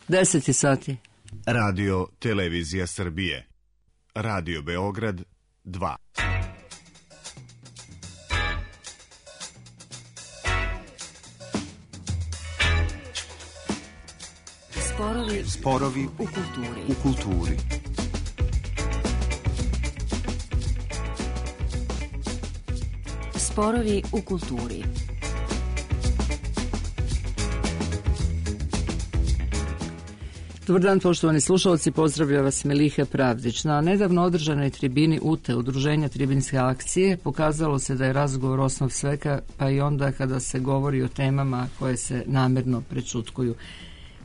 10 sati. Radio Televizija Srbije. Radio Beograd 2. Sporovi u kulturi. Sporovi u kulturi. Dobar dan, poštovani slušalci, pozdravlja vas Meliha Pravdić. Na nedavno održanoj tribini UTE, Udruženja Tribinske akcije, pokazalo se da je razgovor osnov svega, pa i onda kada se govori o temama koje se namerno prećutkuju.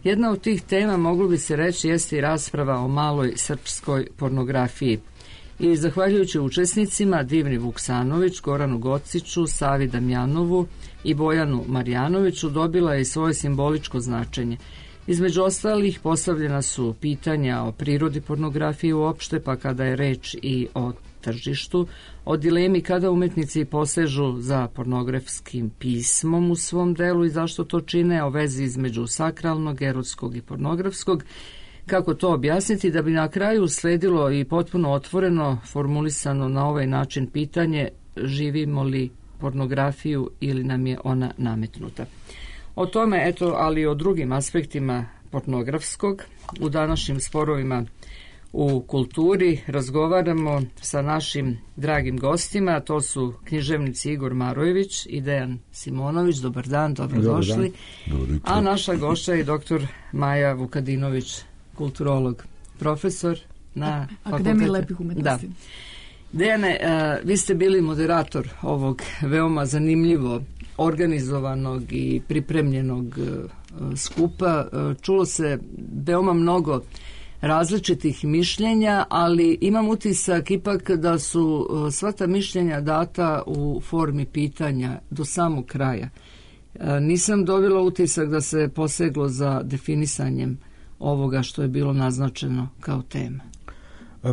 Jedna od tih tema, moglo bi se reći, jeste i rasprava o maloj srpskoj pornografiji. I zahvaljujući učesnicima Divni Vuksanović, Goranu Gociću, Savi Damjanovu i Bojanu Marjanoviću, dobila je i svoje simboličko značenje. Između ostalih postavljena su pitanja o prirodi pornografije uopšte, pa kada je reč i o tržištu, o dilemi kada umetnici posežu za pornografskim pismom u svom delu i zašto to čine, o vezi između sakralnog, erotskog i pornografskog, kako to objasniti, da bi na kraju sledilo i potpuno otvoreno formulisano na ovaj način pitanje: živimo li pornografiju ili nam je ona nametnuta. O tome, ali i o drugim aspektima pornografskog u današnjim sporovima u kulturi razgovaramo sa našim dragim gostima. To su književnici Igor Marojević i Dejan Simonović. Dobar dan, dobrodošli. A naša gošća je doktor Maja Vukadinović, kulturolog, profesor na Akademiji lepih umetnosti. Da. Dejane, vi ste bili moderator ovog veoma zanimljivo organizovanog i pripremljenog skupa. Čulo se veoma mnogo različitih mišljenja, ali imam utisak ipak da su sva ta mišljenja data u formi pitanja do samog kraja. Nisam dobila utisak da se poseglo za definisanjem ovoga što je bilo naznačeno kao tema.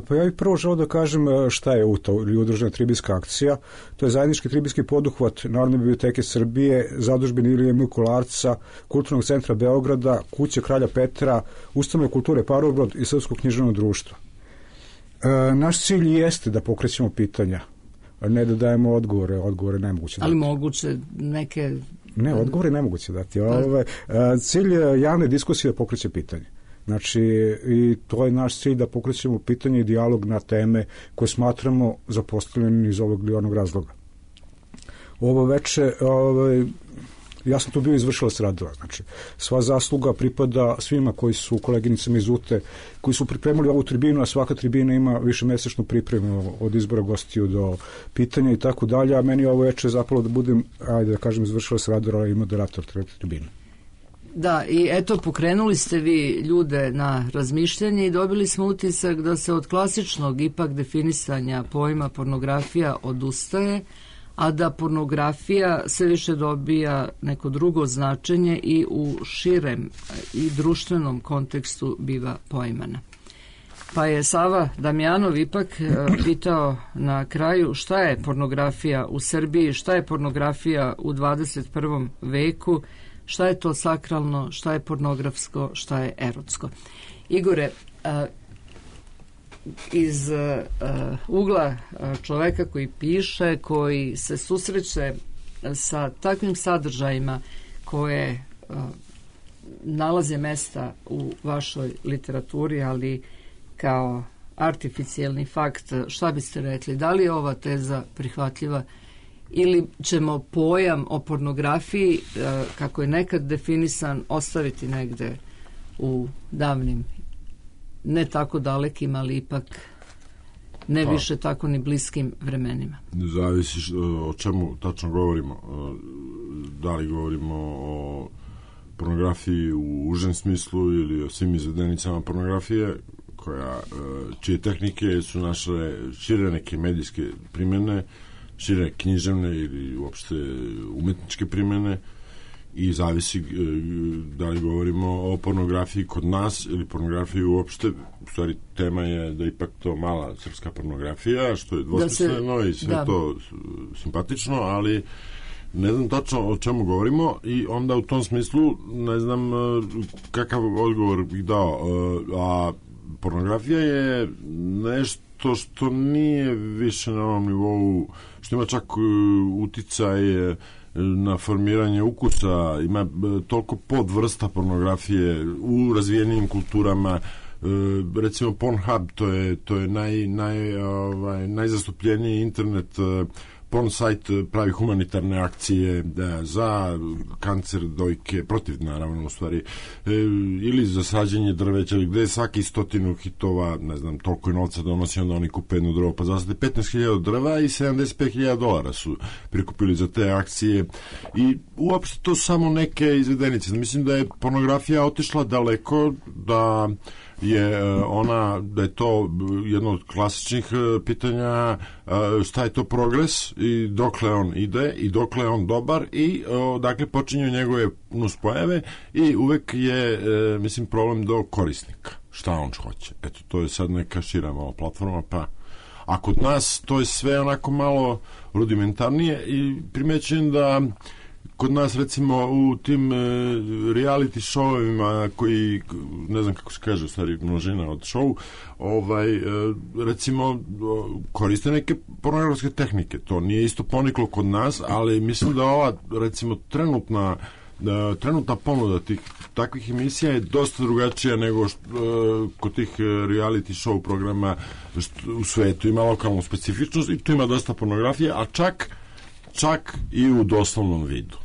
Pa ja bih prvo želeo da kažem šta je UTA ili Udružena tribinska akcija. To je zajednički tribinski poduhvat Narodne biblioteke Srbije, Zadužbine Ilije M. Kolarca, Kulturnog centra Beograda, Kuće Kralja Petra, Ustanove kulture Parobrod i Srpskog književnog društva. Naš cilj jeste da pokrećemo pitanja, a ne da dajemo odgovore. Odgovore nemoguće dati. Ali moguće neke... Ne, odgovore nemoguće dati. Cilj javne diskusije je da pokreće pitanje. Znači, i to je naš cilj, da pokrećemo pitanje i dijalog na teme koje smatramo zapostavljenim iz ovog ili onog razloga. Ovo veče, ja sam tu bio izvršilac radova, znači, sva zasluga pripada svima koji su koleginicama iz UTE, koji su pripremili ovu tribinu, a svaka tribina ima višemesečnu pripremu od izbora gostiju do pitanja i tako dalje, a meni ovo veče zapalo da budem, ajde da kažem, izvršilac radova i moderator tribine. Da, i eto, pokrenuli ste vi ljude na razmišljanje i dobili smo utisak da se od klasičnog ipak definisanja pojma pornografija odustaje, a da pornografija sve više dobija neko drugo značenje i u širem i društvenom kontekstu biva poimana. Pa je Sava Damjanov ipak pitao na kraju šta je pornografija u Srbiji, šta je pornografija u 21. veku, šta je to sakralno, šta je pornografsko, šta je erotsko. Igore, iz ugla čoveka koji piše, koji se susreće sa takvim sadržajima koje nalaze mesta u vašoj literaturi, ali kao artificijalni fakt, šta biste rekli? Da li je ova teza prihvatljiva ili ćemo pojam o pornografiji, kako je nekad definisan, ostaviti negde u davnim, ne tako dalekim, ali ipak ne više tako ni bliskim vremenima? Zavisi o čemu tačno govorimo. Da li govorimo o pornografiji u užem smislu ili o svim izvedenicama pornografije, čije tehnike su našle šire neke medijske primjene, šire književne ili uopšte umetničke primjene, i zavisi da li govorimo o pornografiji kod nas ili pornografiji uopšte. U stvari, tema je da ipak to mala srpska pornografija, što je dvosmisleno i sve to simpatično, ali ne znam tačno o čemu govorimo i onda u tom smislu ne znam kakav odgovor bih dao. A pornografija je nešto što nije više na ovom nivou, što ima čak uticaj na formiranje ukusa, ima toliko podvrsta pornografije u razvijenim kulturama. Recimo Pornhub, to je najzastupljeniji internet porn sajt, pravi humanitarne akcije za kancer dojke, protiv naravno u stvari, ili za sađenje drveća, gde je svaki 100 hitova, ne znam, toliko je novca donosi, onda oni kupe jedno drvo, pa zasade 15.000 drva i $75.000 su prikupili za te akcije i uopšte to samo neke izvedenice. Mislim da je pornografija otišla daleko, da je to jedno od klasičnih pitanja, šta je to progres i dokle on ide i dokle je on dobar i dakle počinju njegove nuspojave i uvek je mislim problem do korisnika, šta on hoće. Eto, to je sad neka šira malo platforma, pa a kod nas to je sve onako malo rudimentarnije i primećujem da kod nas recimo u tim reality showovima koji, ne znam kako se kaže u stvari množina od show, recimo koriste neke pornografske tehnike. To nije isto poniklo kod nas, ali mislim da ova recimo trenutna ponuda takvih emisija je dosta drugačija nego kod tih reality show programa u svetu. Ima lokalnu specifičnost i tu ima dosta pornografije, a čak i u doslovnom vidu.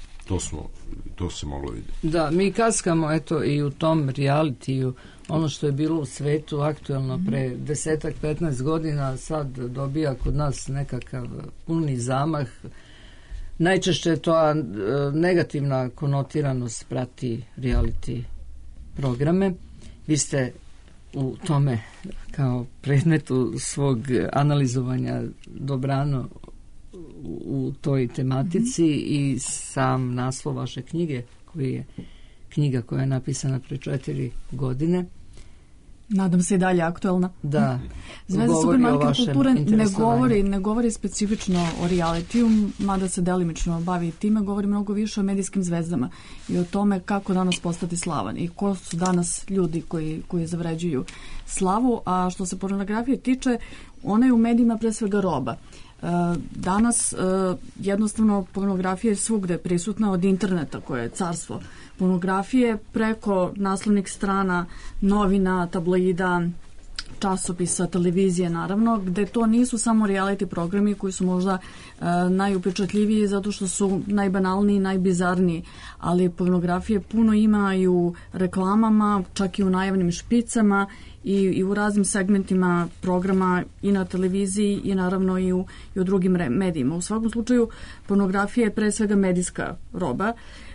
To se moglo vidjeti. Da, mi kaskamo eto i u tom realitiju, ono što je bilo u svetu aktuelno pre 10-15 godina, sad dobija kod nas nekakav puni zamah. Najčešće je to negativna konotiranost prati reality programe. Vi ste u tome kao predmetu svog analizovanja dobrano u toj tematici i sam naslov vaše knjige, koji je knjiga koja je napisana pre 4 godine. Nadam se i dalje aktuelna. Da. Zvezda supermarket kulture ne govori specifično o realitiju, mada se delimično bavi time, govori mnogo više o medijskim zvezdama i o tome kako danas postati slavan i ko su danas ljudi koji zavređuju slavu, a što se pornografije tiče, ona je u medijima pre svega roba. Danas jednostavno pornografija je svugde prisutna, od interneta koje je carstvo pornografije, preko naslovnih strana, novina, tabloida, časopisa, televizije naravno, gde to nisu samo reality programi koji su možda najupečatljiviji zato što su najbanalniji, najbizarniji, ali pornografije puno ima i u reklamama, čak i u najavnim špicama i u raznim segmentima programa i na televiziji i naravno i u drugim medijima. U svakom slučaju pornografija je pre svega medijska roba,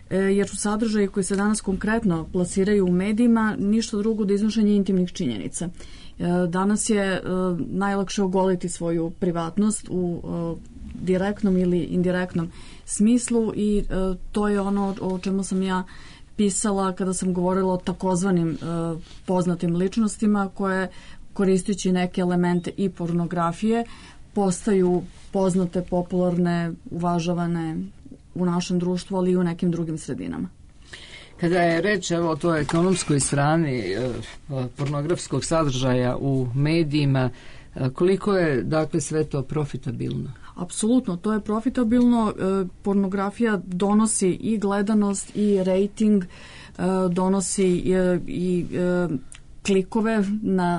jer su sadržaji koji se danas konkretno plasiraju u medijima ništa drugo da iznošenje intimnih činjenica. Danas je najlakše ogoliti svoju privatnost u direktnom ili indirektnom smislu i to je ono o čemu sam ja pisala kada sam govorila o takozvanim poznatim ličnostima koje, koristeći neke elemente i pornografije, postaju poznate, popularne, uvažavane u našem društvu, ali i u nekim drugim sredinama. Kada je reč o toj ekonomskoj strani pornografskog sadržaja u medijima, koliko je dakle sve to profitabilno? Apsolutno, to je profitabilno. Pornografija donosi i gledanost i rejting, donosi i klikove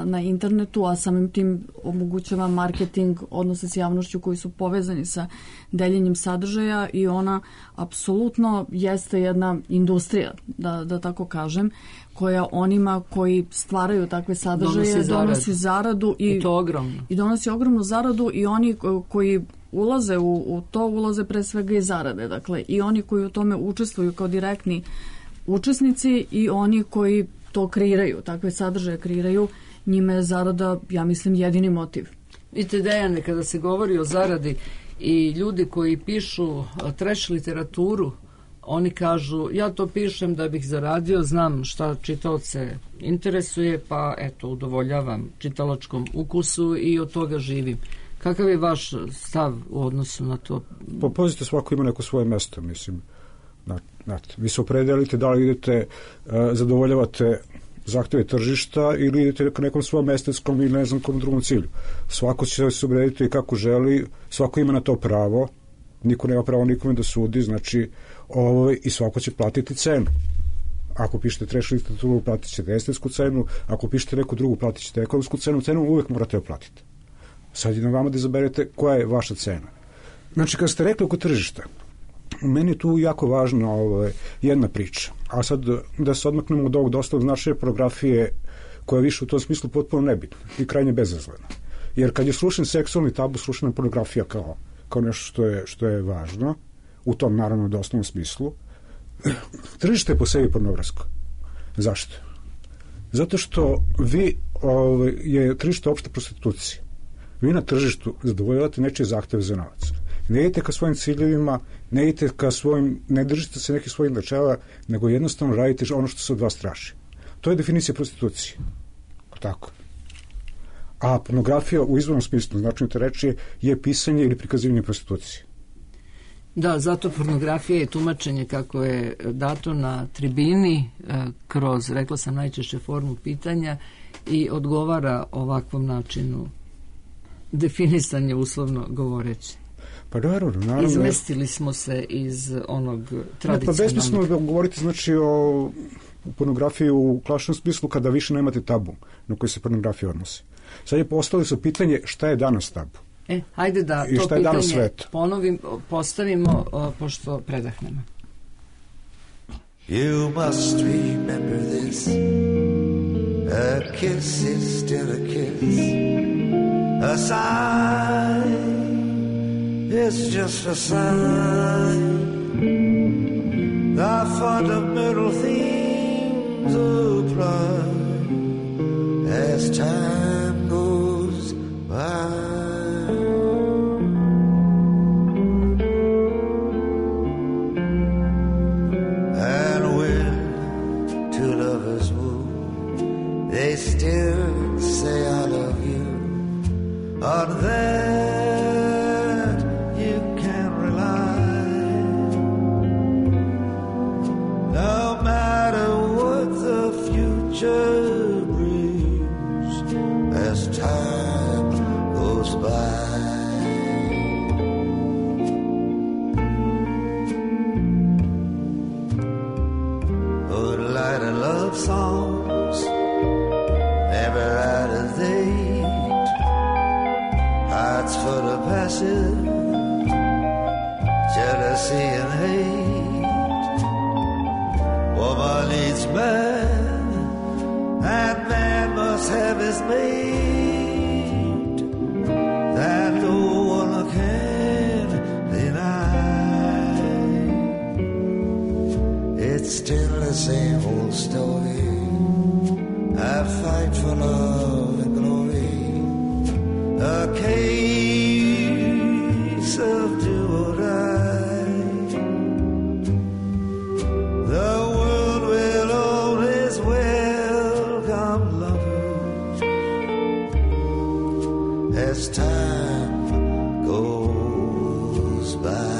na internetu, a samim tim omogućava marketing, odnose s javnošću koji su povezani sa deljenjem sadržaja i ona apsolutno jeste jedna industrija, da tako kažem, koja onima koji stvaraju takve sadržaje donosi zaradu i to ogromno. I donosi ogromnu zaradu i oni koji ulaze u to, ulaze pre svega i zarade. Dakle, i oni koji u tome učestvuju kao direktni učesnici i oni koji to kreiraju, takve sadržaje kreiraju, njima je zarada, ja mislim, jedini motiv. Vidite, Dejane, kada se govori o zaradi i ljudi koji pišu trash literaturu, oni kažu, ja to pišem da bih zaradio, znam šta čitaoce interesuje, pa eto, udovoljavam čitalačkom ukusu i od toga živim. Kakav je vaš stav u odnosu na to? Pa pazite, svako ima neko svoje mesto, mislim. Vi se opredelite da li idete, zadovoljavate zahteve tržišta ili idete ka nekom svom estetskom ili ne znam kom drugom cilju. Svako će se obrediti kako želi, svako ima na to pravo, niko nema pravo nikome da sudi, znači i svako će platiti cenu. Ako pišete trash literaturu, platit ćete estetsku cenu, ako pišete neku drugu, platit ćete ekonomsku cenu uvek morate joj platiti. Sad je na vama da izaberete koja je vaša cena. Znači, kad ste rekli oko tržišta, meni je tu jako važna jedna priča. A sad da se odmaknemo od ovog dosta značaja pornografije koja je više u tom smislu potpuno nebitna i krajnje bezazlena. Jer kad je srušen seksualni tabu, srušena je pornografija kao nešto što je važno, u tom naravno doslovnom smislu. Tržište je po sebi pornografsko. Zašto? Zato što je tržište opšte prostitucije. Vi na tržištu zadovoljavate nečije zahteve za novac. Ne idete ka svojim ciljevima, ne idete ka ne držite se nekih svojih načela, nego jednostavno radite ono što se od vas traži. To je definicija prostitucije. Tako. A pornografija u izvornom smislu, značajno te reči, je pisanje ili prikazivanje prostitucije. Da, zato pornografija je tumačenje kako je dato na tribini kroz, rekla sam, najčešće formu pitanja i odgovara ovakvom načinu definisanje, uslovno govoreći. Pa naravno. Izmestili smo se iz onog tradicionalnog. Pa besmisleno da govorite, znači, o pornografiji u klasičnom smislu kada više nemate tabu na koji se pornografija odnosi. Sad je postavili su pitanje šta je danas tabu. Hajde da to pitanje postavimo pošto predahnemo. You must remember this. A kiss is still a kiss. A sign is just a sign. The fundamental themes apply as time goes by. They still say I love you. On that you can rely. No matter what the future brings as time goes by. Would light a love songs never out of date, hearts full of passion, jealousy and hate. Woman needs man, and man must have his mate. That no one can deny. It's still the same old story. I fight for love and glory, a case of do or die. The world will always welcome lovers as time goes by.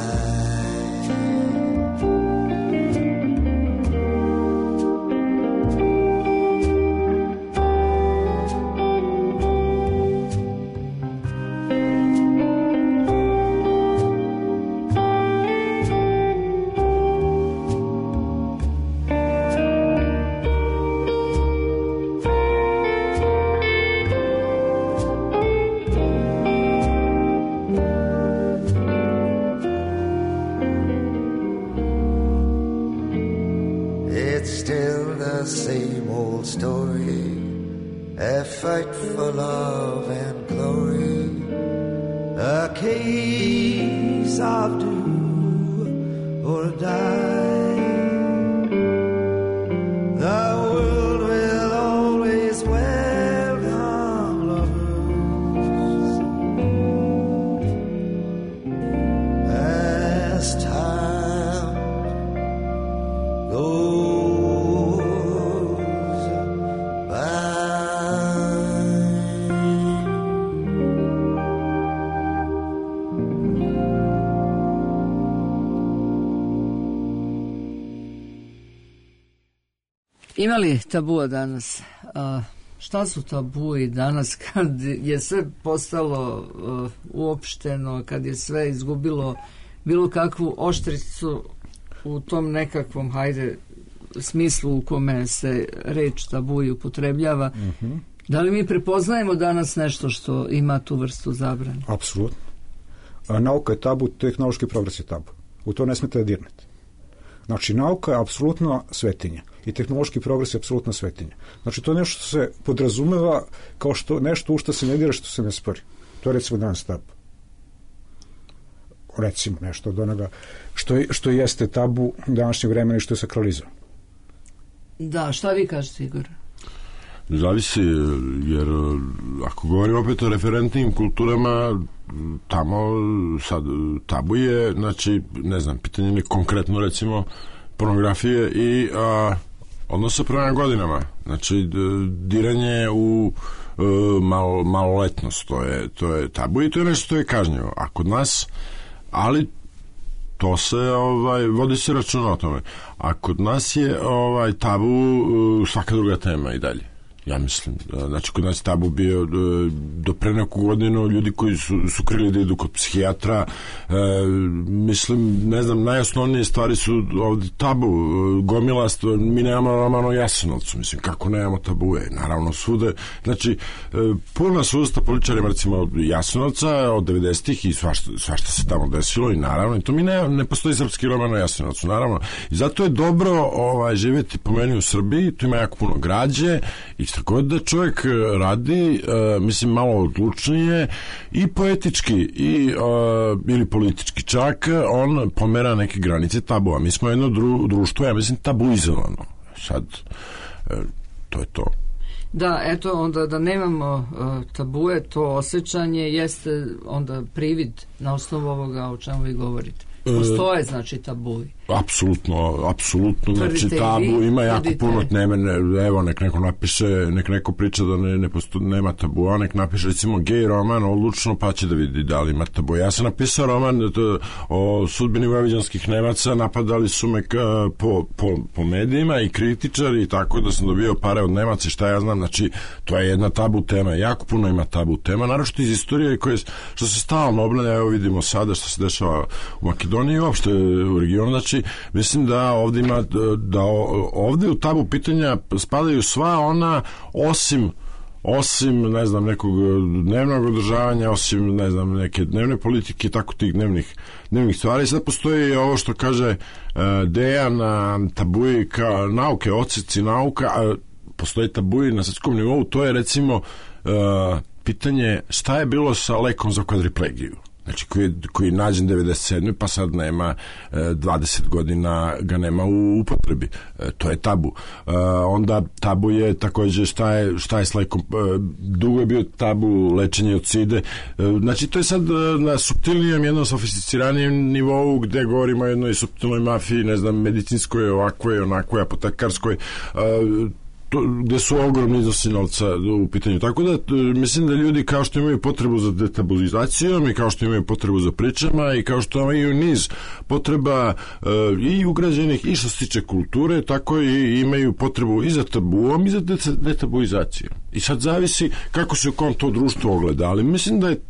Fight for love and glory, a case of do or die. The world will always welcome lovers as time goes. Ima li tabua danas? Šta su tabui danas kad je sve postalo uopšteno, kad je sve izgubilo bilo kakvu oštricu u tom nekakvom, hajde, smislu u kome se reč tabuji upotrebljava? Da li mi prepoznajemo danas nešto što ima tu vrstu zabrane? Apsolutno. Nauka je tabu, tehnološki progres je tabu. U to ne smete da dirnete. Znači, nauka je apsolutno svetinja i tehnološki progres je apsolutno svetinja. Znači, to je nešto što se podrazumeva kao što nešto u što se ne dira, što se ne spori. To je recimo danas tabu. Recimo nešto od onoga što jeste tabu današnjeg vremena i što je sakralizovano. Da, šta vi kažete, Igor? Zavisi, jer ako govorimo opet o referentnim kulturama, tamo sad tabu je, znači, ne znam, pitanje je konkretno, recimo, pornografije i odnosa prema godinama. Znači, diranje u maloletnost, to je tabu i to je nešto što je kažnjivo. A kod nas, ali to se vodi se računa o tome. A kod nas je tabu svaka druga tema i dalje. Ja mislim, znači kod nas tabu bio do pre neku godinu ljudi koji su krili da idu kod psihijatra, mislim, ne znam, najosnovnije stvari su ovdje tabu, gomila, mi nemamo roman o Jasenovcu, mislim, kako nemamo tabue, naravno svude, znači puna su usta političarima, recimo Jasenovca od 90-ih i svašta se tamo desilo i naravno, i to mi ne postoji srpski roman o Jasenovcu, naravno, i zato je dobro živjeti po meni u Srbiji, tu ima jako puno građe i što god da čovjek radi, mislim, malo odlučnije i poetički ili politički čak, on pomera neke granice tabua. Mi smo jedno društvo, ja mislim, tabuizovano. Sad, to je to. Da, eto, onda da nemamo tabue, to osjećanje jeste onda privid na osnovu ovoga o čemu vi govorite. Postoje, znači, tabuji. Apsolutno, znači tabu ima jako puno teme, evo, nek neko priča da nema tabua, nek napiše recimo gej roman odlučno, pa će da vidi da li ima tabu. Ja sam napisao roman o sudbini vojvođanskih Nemaca, napadali su me po medijima i kritičari i tako da sam dobio pare od Nemaca i šta ja znam, znači to je jedna tabu tema, jako puno ima tabu tema, naročito iz istorije što se stalno obnavlja, evo vidimo sada što se dešava u Makedoniji i uopšte u regionu, znači mislim da ovdje u tabu pitanja spadaju sva ona osim ne znam, nekog dnevnog održavanja, osim ne znam, neke dnevne politike, tako tih dnevnih stvari. Sad postoji ovo što kaže Dejan, tabuji kao nauke, odseci nauka, postoji tabuji na svjetskom nivou, to je recimo pitanje šta je bilo sa lekom za kvadriplegiju. Znači koji je nađen 97. pa sad nema 20 godina ga nema u upotrebi. To je tabu. Onda tabu je također šta je s lekom. Dugo je bio tabu lečenje od side. Znači to je sad na suptilnijem, jednom sofisticiranijem nivou gdje govorimo o jednoj suptilnoj mafiji, ne znam, medicinskoj, ovakvoj, onakvoj, apotekarskoj, gdje su ogromni iznosi novca u pitanju. Tako da mislim da ljudi kao što imaju potrebu za detabuizacijom i kao što imaju potrebu za pričama i kao što imaju niz potreba i ugrađenih i što se tiče kulture, tako i imaju potrebu i za tabuom i za detabuizacijom. I sad zavisi kako se u kom to društvo ogleda, ali mislim da je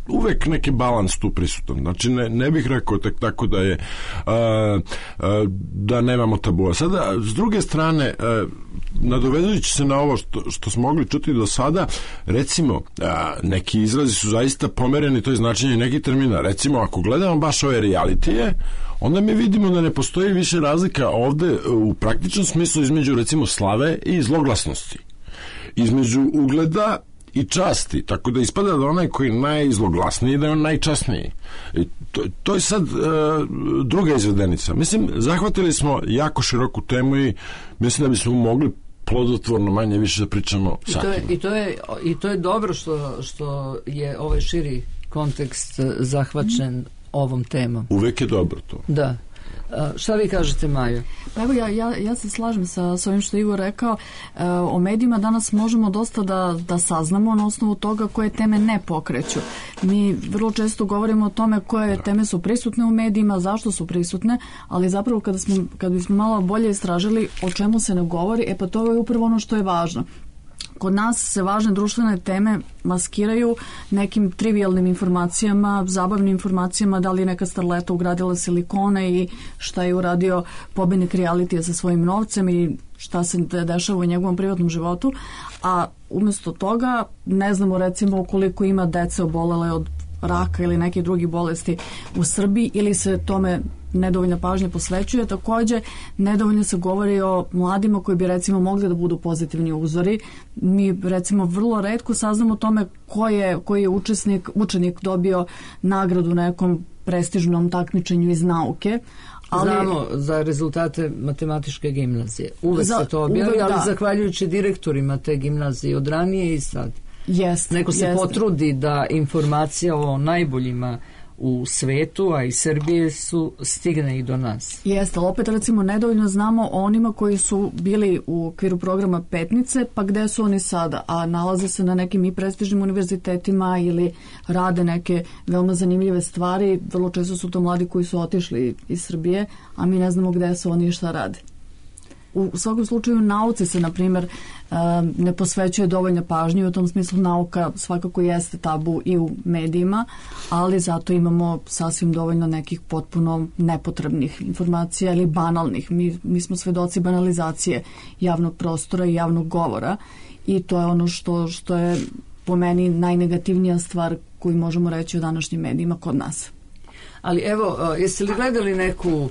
uvek neki balans tu prisutan. Znači ne bih rekao tako da je da nemamo tabua. Sada, s druge strane, nadovezujući se na ovo što smo mogli čuti do sada, recimo, neki izrazi su zaista pomereni, to je značenje nekih termina. Recimo, ako gledamo baš ove realitije, onda mi vidimo da ne postoji više razlika ovde u praktičnom smislu između, recimo, slave i zloglasnosti. Između ugleda i časti, tako da ispada da onaj koji je najzloglasniji da je on najčasniji. I to je sad druga izvedenica. Mislim, zahvatili smo jako široku temu i mislim da bismo mogli plodotvorno manje više da pričamo satima. I to je dobro što je ovaj širi kontekst zahvaćen ovom temom. Uvek je dobro to. Da. Šta vi kažete, Majo? Evo, ja se slažem sa ovim što je Igor rekao. O medijima danas možemo dosta da saznamo na osnovu toga koje teme ne pokreću. Mi vrlo često govorimo o tome koje teme su prisutne u medijima, zašto su prisutne, ali zapravo kad bismo malo bolje istražili o čemu se ne govori, pa to je upravo ono što je važno. Kod nas se važne društvene teme maskiraju nekim trivialnim informacijama, zabavnim informacijama, da li je neka starleta ugradila silikone i šta je uradio pobednik realitija sa svojim novcem i šta se dešava u njegovom privatnom životu, a umjesto toga ne znamo recimo koliko ima dece obolele od raka ili nekih drugih bolesti u Srbiji ili se tome nedovoljna pažnja posvećuje. Također, nedovoljno se govori o mladima koji bi recimo mogli da budu pozitivni uzori. Mi recimo vrlo retko saznamo o tome koji je učenik dobio nagradu na nekom prestižnom takmičenju iz nauke. Znamo za rezultate matematičke gimnazije. Uvek se to objavi, ali zahvaljujući direktorima te gimnazije od ranije i sad. Neko se potrudi da informacija o najboljima u svetu, a i Srbije stigne i do nas. Jeste, ali opet recimo nedovoljno znamo o onima koji su bili u okviru programa Petnice, pa gde su oni sada, a nalaze se na nekim i prestižnim univerzitetima ili rade neke veoma zanimljive stvari. Vrlo često su to mladi koji su otišli iz Srbije, a mi ne znamo gde su oni i šta rade. U svakom slučaju nauci se, na primjer, ne posvećuje dovoljno pažnje, u tom smislu nauka svakako jeste tabu i u medijima, ali zato imamo sasvim dovoljno nekih potpuno nepotrebnih informacija ili banalnih. Mi smo svedoci banalizacije javnog prostora i javnog govora i to je ono što je po meni najnegativnija stvar koju možemo reći o današnjim medijima kod nas. Ali evo, jeste li gledali neku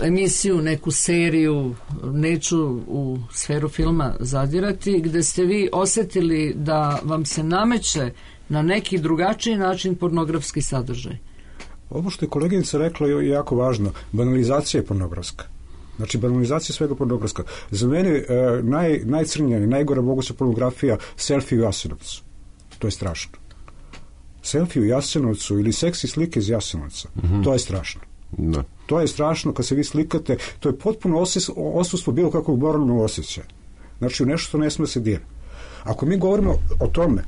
emisiju, neku seriju, neću u sferu filma zadirati, gde ste vi osjetili da vam se nameće na neki drugačiji način pornografski sadržaj? Ovo što je koleginica rekla je jako važno. Banalizacija je pornografska. Znači, banalizacija svega pornografska. Za mene najcrnija i najgora moguća pornografija selfie u Jasenovcu. To je strašno. Selfie u Jasenovcu ili seksi slike iz Jasenovca. To je strašno. Da. To je strašno kad se vi slikate, to je potpuno odsustvo bilo kakvog moralnog osjećaja. Znači, u nešto što ne sme se dira. Ako mi govorimo o tome,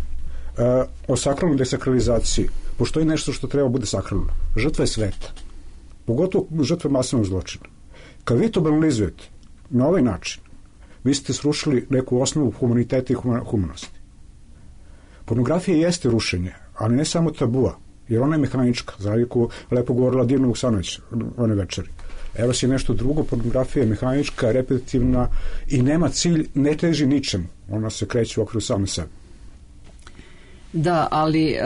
o sakralnoj desakralizaciji, postoji nešto što treba bude sakralno. Žrtva je sveta. Pogotovo žrtva masovnog zločina. Kad vi to banalizujete na ovaj način, vi ste srušili neku osnovu humaniteta i humanosti. Pornografija jeste rušenje, ali ne samo tabua, jer ona je mehanička, za razliku lepo govorila Divna Vuksanović one večeri. Evo si nešto drugo, pornografija je mehanička, repetitivna i nema cilj, ne teži ničemu. Ona se kreće u okviru same sebe. Da, ali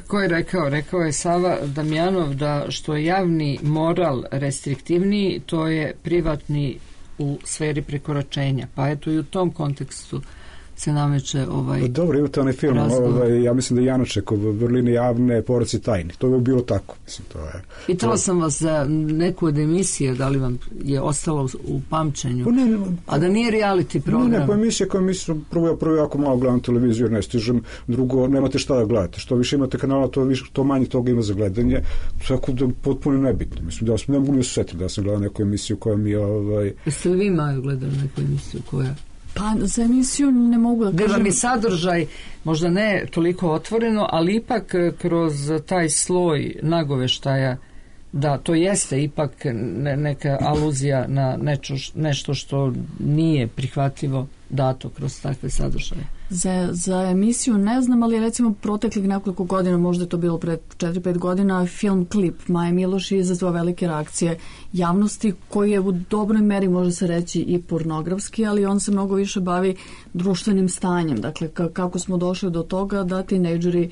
ko je rekao? Rekao je Sava Damjanov da što je javni moral restriktivniji, to je privatni u sferi prekoračenja. Pa eto i u tom kontekstu se nameće Dobro, imate onaj film, ja mislim da je Janaček od Vrline javne, poraci tajni. To je bilo tako. Mislim, Pitala sam vas za neku od emisije, da li vam je ostalo u pamćenju, a da nije reality program. Ne, emisija koja mislim, prvo jako malo gledam televiziju, ne stižem, drugo, nemate šta da gledate. Što više imate kanala, to manje toga ima za gledanje, tako da potpuno nebitno. Mislim, da ne mogu ni osjetiti da sam gledao neku emisiju koja mi je... Jeste li vi, Maju, gledali neku emisiju koja... Pa za emisiju ne mogu da kažem. Gdje vam je sadržaj možda ne toliko otvoreno, ali ipak kroz taj sloj nagoveštaja da to jeste ipak neka aluzija na nešto što nije prihvatljivo dato kroz takve sadržaje. Za emisiju ne znam, ali recimo proteklih nekoliko godina, možda je to bilo pred 4-5 godina, film Klip Maje Miloš je izazvao velike reakcije javnosti, koji je u dobroj meri, može se reći, i pornografski, ali on se mnogo više bavi društvenim stanjem. Dakle, kako smo došli do toga da tinejdžeri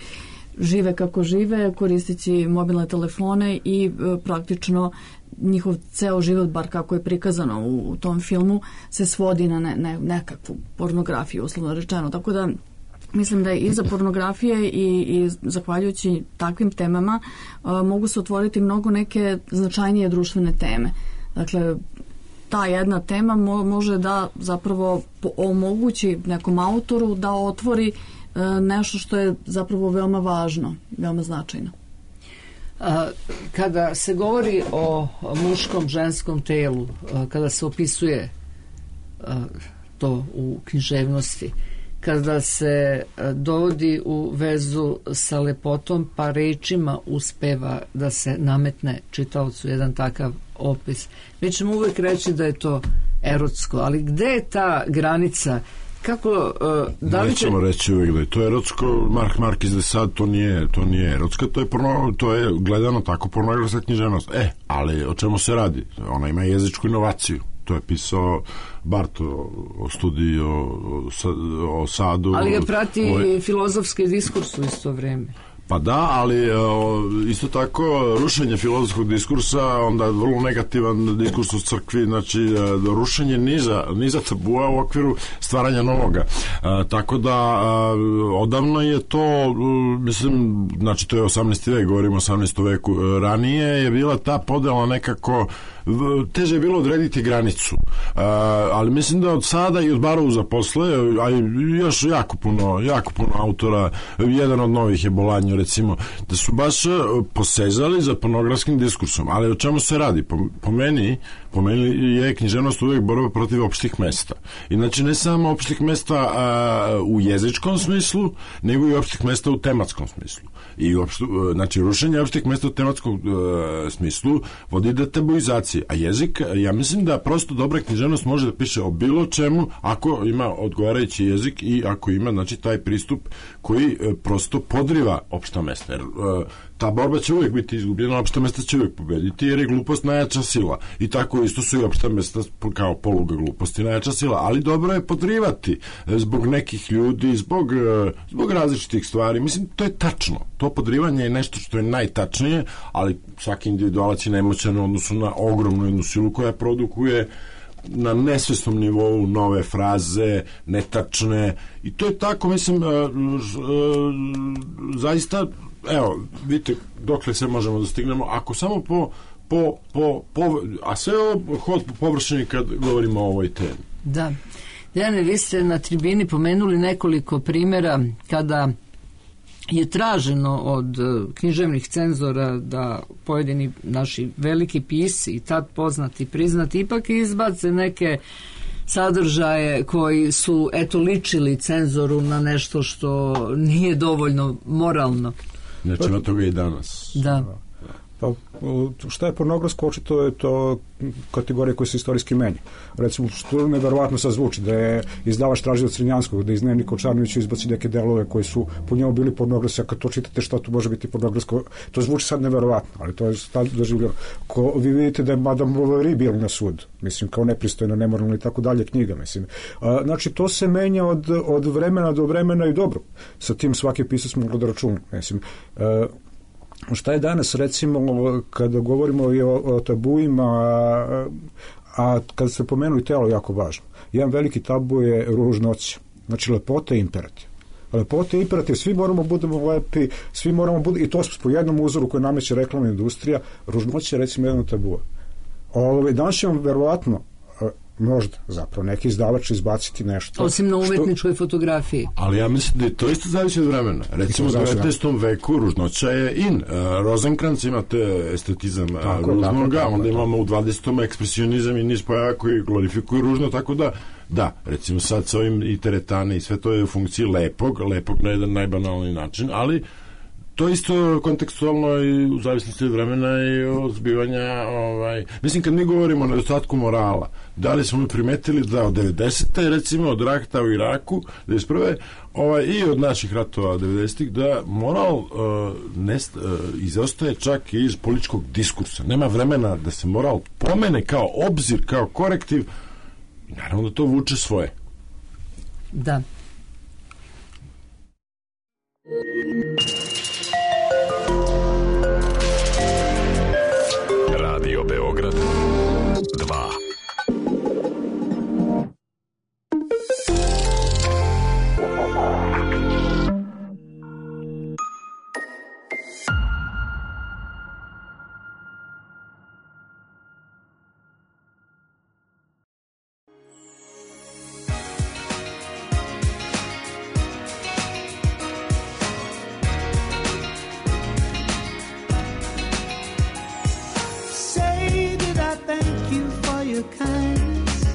žive kako žive, koristeći mobilne telefone i praktično njihov ceo život, bar kako je prikazano u tom filmu, se svodi na nekakvu pornografiju, uslovno rečeno. Tako da mislim da je iza pornografije i zahvaljujući takvim temama mogu se otvoriti mnogo neke značajnije društvene teme. Dakle, ta jedna tema može da zapravo omogući nekom autoru da otvori nešto što je zapravo veoma važno, veoma značajno. Kada se govori o muškom, ženskom telu, kada se opisuje to u književnosti, kada se dovodi u vezu sa lepotom, pa rečima uspeva da se nametne čitaocu jedan takav opis. Mi ćemo uvijek reći da je to erotsko, ali gde je ta granica? Kako, da li nećemo reći uvijek da je to erotsko. Marquis de Sade to nije erotsko, to je gledano tako pornografska književnost. Ali o čemu se radi? Ona ima jezičku inovaciju. To je pisao Barto o studiji o Sadu. Ali ga prati filozofski diskurs u isto vrijeme. Pa da, ali isto tako rušenje filozofskog diskursa, onda vrlo negativan diskurs u crkvi, znači rušenje niza tabua u okviru stvaranja novoga. Tako da odavno je to, mislim, znači to je 18. vek, govorimo o 18. veku, ranije je bila ta podela nekako, teže je bilo odrediti granicu, ali mislim da od sada i od Barouza posle, a još jako puno autora, jedan od novih je Bolanjo, recimo, da su baš posezali za pornografskim diskursom. Ali o čemu se radi? Po meni je književnost uvijek borba protiv opštih mesta. I znači ne samo opštih mesta u jezičkom smislu, nego i opštih mesta u tematskom smislu. I znači rušenje opštih mesta u tematskom smislu vodi do tabuizacije. A jezik, ja mislim da prosto dobra književnost može da piše o bilo čemu ako ima odgovarajući jezik i ako ima, znači, taj pristup koji prosto podriva opšta mesta. Jer ta borba će uvijek biti izgubljena, opšta mesta će uvijek pobediti, jer je glupost najjača sila. I tako isto su i opšta mesta kao poluga gluposti najjača sila. Ali dobro je podrivati zbog nekih ljudi, zbog različitih stvari. Mislim, to je tačno. To podrivanje je nešto što je najtačnije, ali svaki individualac je nemoćan u odnosu na ogromnu jednu silu koja produkuje na nesvesnom nivou nove fraze, netačne, i to je tako, mislim, zaista, evo, vidite dokle se možemo da stignemo, ako samo a sve ovo hod po površini kad govorimo o ovoj temi. Da. Dejane, vi ste na tribini pomenuli nekoliko primjera kada je traženo od književnih cenzora da pojedini naši veliki pisci i tad poznati, priznati, ipak izbace neke sadržaje koji su ličili cenzoru na nešto što nije dovoljno moralno. Nećemo toga i danas. Da. Pa, šta je pornografsko, očito je to kategorija koja se istorijski menja. Recimo, što neverovatno sad zvuči, da je izdavač tražio od Crnjanskog da iz Dnevnika o Čarnoviću izbaci neke delove koji su po njemu bili pornografski, a kad to čitate šta tu može biti pornografsko, to zvuči sad neverovatno, ali to je tad doživljeno. Vi vidite da je Madame Bovary bil na sud, mislim, kao nepristojno, nemoralno i tako dalje knjiga, mislim. Znači, to se menja od vremena do vremena i dobro. Sa tim svaki pisac moglo da računa, mislim. Šta je danas, recimo, kada govorimo i o tabuima, a kada se pomenuli telo, jako važno. Jedan veliki tabu je ružnoća. Znači, lepota je imperativ. Lepota je imperativ, svi moramo budemo lepi, svi moramo budemo, i to po jednom uzoru koji nameće reklamna industrija, ružnoća je, recimo, jedan tabu. Danas ćemo, verovatno, možda zapravo neki izdavač izbaciti nešto. Osim na umetničkoj fotografiji. Ali ja mislim da je to isto zavisi od vremena. Recimo u 19. veku ružnoća je in. Rozenkrantz imate estetizam ružnoga, onda imamo u 20. ekspresionizam i niz pojava koji glorifikuju ružno, tako da, recimo sad sa ovim i teretane i sve to je u funkciji lepog na jedan najbanalni način, ali to isto kontekstualno i u zavisnosti od vremena i od zbivanja, mislim, kad mi govorimo o nedostatku morala, da li smo mi primetili da od 90. recimo od rata u Iraku 91. I od naših ratova 90. da moral izostaje čak i iz političkog diskursa. Nema vremena da se moral pomene kao obzir, kao korektiv, i naravno da to vuče svoje. Da. Radio Beograd 2.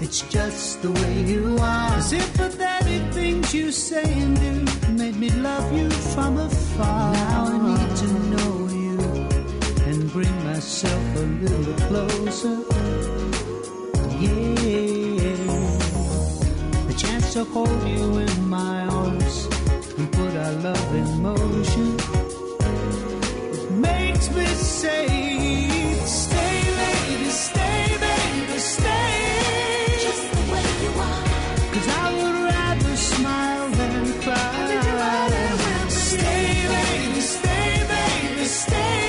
It's just the way you are. Sympathetic things what you say and do made me love you from afar. Now I need to know you and bring myself a little closer. Yeah, a chance to hold you in my arms and put our love in motion. It makes me say, stay, lady, stay, baby, stay. Just the way you are. 'Cause I would rather smile than cry. Stay, lady, stay, baby, stay.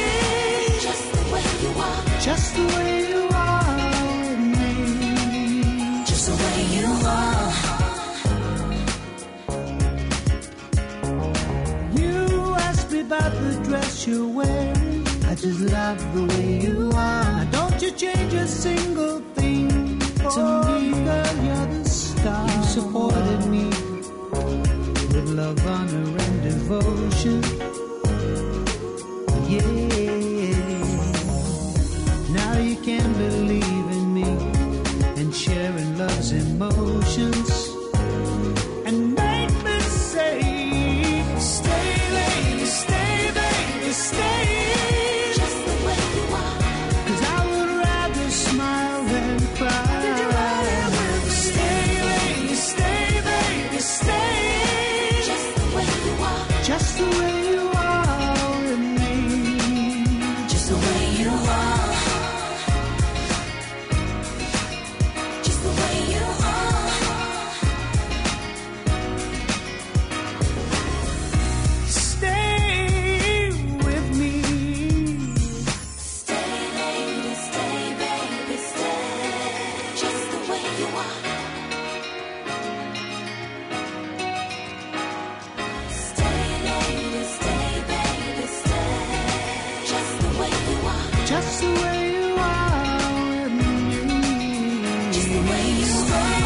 Just the way you are. Just the way you are with me. Just the way you are. You asked me about the dress you're wearing. I just love the way you are. Now don't you change a single thing to me, girl, you're the star. You supported me with love, honor, and devotion. Yeah, now you can believe in me and sharing love's emotions. And make me say, stay, lady, stay, baby, stay. Just the way you are. 'Cause I would rather smile than cry. Stay, lady, stay, baby, stay. Just the way you are. Just the way you are with me. Just the way you are. Just the way you are. Stay with me. Stay, lady, stay, baby, stay. Just the way you are. Stay, lady, stay, baby, stay. Just the way you are. Just the way you are with me. Just the way you are.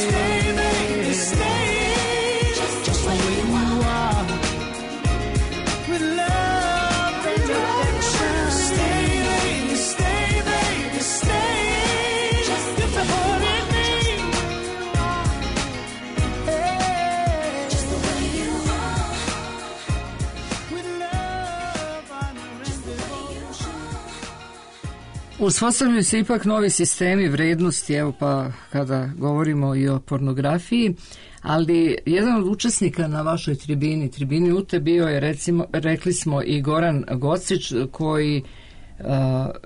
Stay, baby, stay. Just the way you are. With love and affection. Stay, lady, stay, baby, stay. Just the way me. Hey. Just the way you are. With love, honor, and devotion. Uspostavljaju se ipak novi sistemi vrednosti, evo pa kada govorimo i o pornografiji, ali jedan od učesnika na vašoj tribini UTE bio je, recimo, rekli smo, i Goran Gocić, koji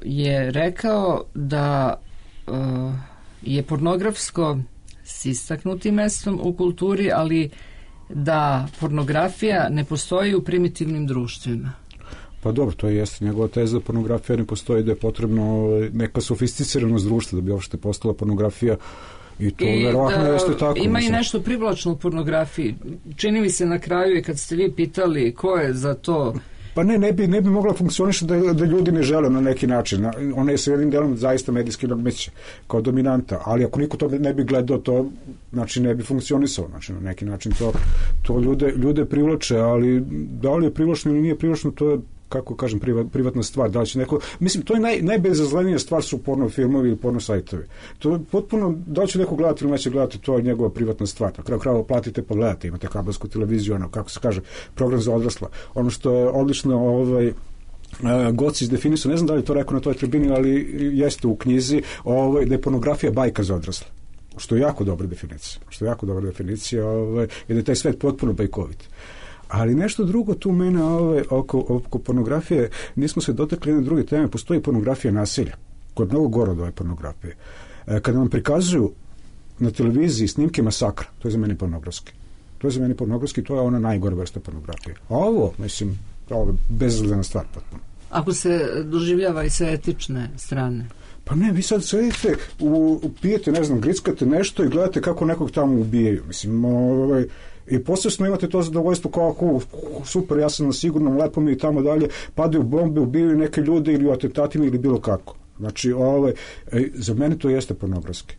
je rekao da je pornografsko s istaknutim mestom u kulturi, ali da pornografija ne postoji u primitivnim društvima. Pa dobro, to jeste njegova teza da pornografija ne postoji, da je potrebno neka sofisticiranost društva da bi uopšte postala pornografija. I to verovatno jeste tako. Ima i nešto privlačno u pornografiji. Čini mi se na kraju, i kad ste vi pitali ko je za to... Pa ne bi mogla funkcionišati da ljudi ne žele na neki način. Ona je sa jednim delom zaista medijski nadmeće kao dominanta, ali ako niko to ne bi gledao, to znači ne bi funkcionisao. Znači na neki način to ljude privlače, ali da li je privlačno ili nije privlačno, to je, kako kažem, privatna stvar. Da li će neko... Mislim, to je najbezazlenija stvar su porno filmovi ili porno sajtovi. To je potpuno, da li će neko gledati ili neće gledati, to je njegova privatna stvar. Na kraju krajeva platite pa gledate, imate kabelsku televiziju, ono, kako se kaže, program za odrasla. Ono što je odlično Gocić definisao, ne znam da li je to rekao na toj tribini, ali jeste u knjizi, da je pornografija bajka za odrasle. Što je jako dobra definicija. I da je taj svet potpuno bajkovit. Ali nešto drugo tu mene oko pornografije, nismo se dotakli jedne druge teme, postoji pornografija nasilja, koja je mnogo gore od ove pornografije. Kada vam prikazuju na televiziji snimke masakra, to je za mene pornografski. To je ona najgore vrsta pornografije. A ovo je bezazlena stvar potpuno. Ako se doživljava i sa etične strane? Pa ne, vi sad sedite, pijete, ne znam, grickate nešto i gledate kako nekog tamo ubijaju. Mislim, i posebno imate to zadovoljstvo kao super, ja sam na sigurnom, lepo mi i tamo dalje, padaju bombe, ubijaju neke ljude ili u atentatima ili bilo kako. Znači, za mene to jeste pornografski.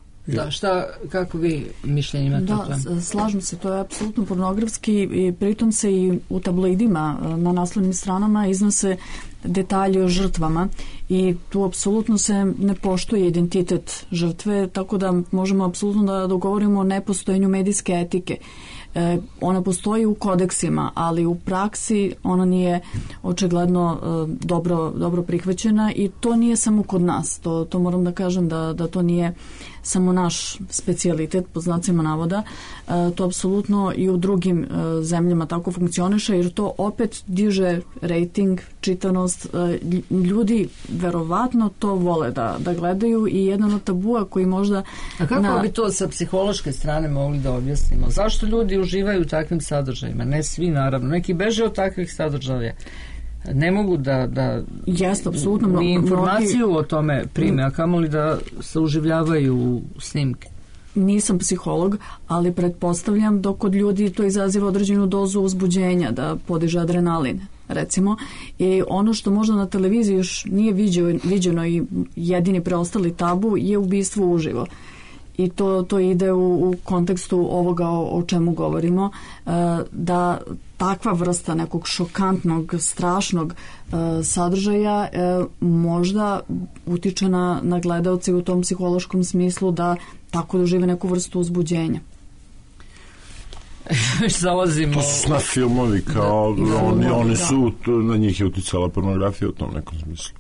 Da, kako vi mišljenje imate o tome? Da, slažem se, to je apsolutno pornografski i pritom se i u tabloidima na naslovnim stranama iznose detalji o žrtvama i tu apsolutno se ne poštuje identitet žrtve, tako da možemo apsolutno da dogovorimo o nepostojanju medijske etike. Ona postoji u kodeksima, ali u praksi ona nije očigledno dobro prihvaćena i to nije samo kod nas. To moram da kažem da to nije samo naš specijalitet, po znacima navoda. To apsolutno i u drugim zemljama tako funkcioniše, jer to opet diže rating, čitanost. Ljudi verovatno to vole da gledaju i jedan od tabua koji možda... A kako bi to sa psihološke strane mogli da objasnimo? Zašto ljudi uživaju u takvim sadržajima? Ne svi, naravno. Neki beže od takvih sadržaja. Ne mogu da Jeste, apsolutno, ni informaciju o tome prime, a kamoli da se uživljavaju u snimke. Nisam psiholog, ali pretpostavljam da kod ljudi to izaziva određenu dozu uzbuđenja, da podiže adrenalin, recimo. I ono što možda na televiziji još nije viđeno i jedini preostali tabu je ubistvo uživo. I to ide u kontekstu ovoga o čemu govorimo, da takva vrsta nekog šokantnog, strašnog sadržaja možda utiče na gledaoce u tom psihološkom smislu da tako dožive neku vrstu uzbuđenja. To su snaf filmovi, kao oni su, na njih je uticala pornografija u tom nekom smislu.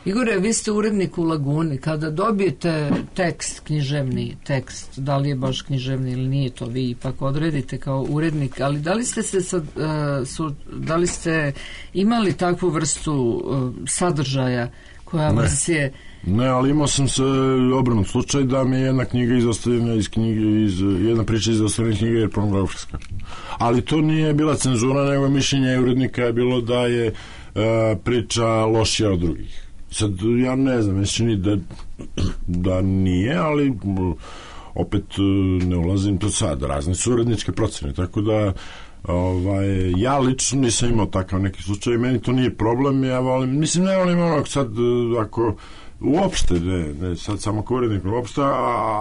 Igore, vi ste urednik u Laguni. Kada dobijete tekst, književni tekst, da li je baš književni ili nije, to vi ipak odredite kao urednik, ali da li ste da li ste imali takvu vrstu sadržaja koja vas je... Ne, ali imao sam se obrnut slučaj da mi je jedna knjiga izostavljena iz knjige, jedna priča izostavljena iz knjige je pornografska. Ali to nije bila cenzura, nego mišljenje urednika je bilo da je priča lošija od drugih. Sad, ja ne znam, mislim da nije, ali opet ne ulazim to sad, razne su uredničke procene, tako da ja lično nisam imao takav neki slučaj, meni to nije problem, ja volim, mislim, ne volim onog sad, ako uopšte, ne sad samo kao urednik, uopšte,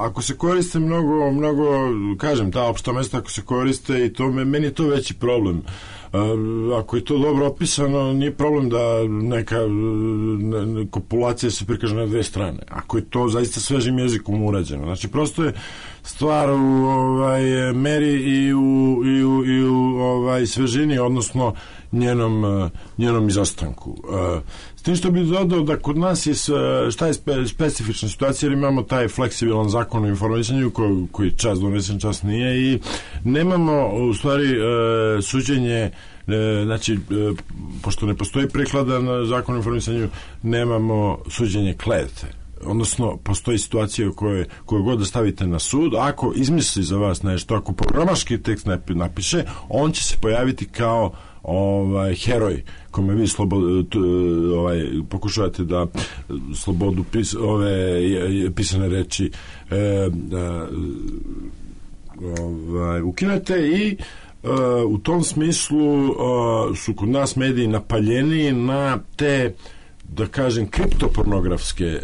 ako se koriste mnogo, kažem, ta opšta mesta, ako se koriste i to, meni je to veći problem. Ako je to dobro opisano, nije problem da neka kopulacija se prikaže na dve strane. Ako je to zaista svežim jezikom urađeno. Znači, prosto je stvar u meri i u svežini, odnosno njenom izostanku. S tim što bih dodao da kod nas je šta je specifična situacija, jer imamo taj fleksibilan zakon o informisanju koji čas donesen, čas nije i nemamo u stvari suđenje, znači pošto ne postoji prikladan zakon o informisanju, nemamo suđenje klevete. Odnosno, postoji situacija koju god da stavite na sud, ako izmisli za vas nešto, ako programaški tekst napiše, on će se pojaviti kao heroj kome vi pokušavate da slobodu pisane reči ukinete i u tom smislu su kod nas mediji napaljeni na te, da kažem, kriptopornografske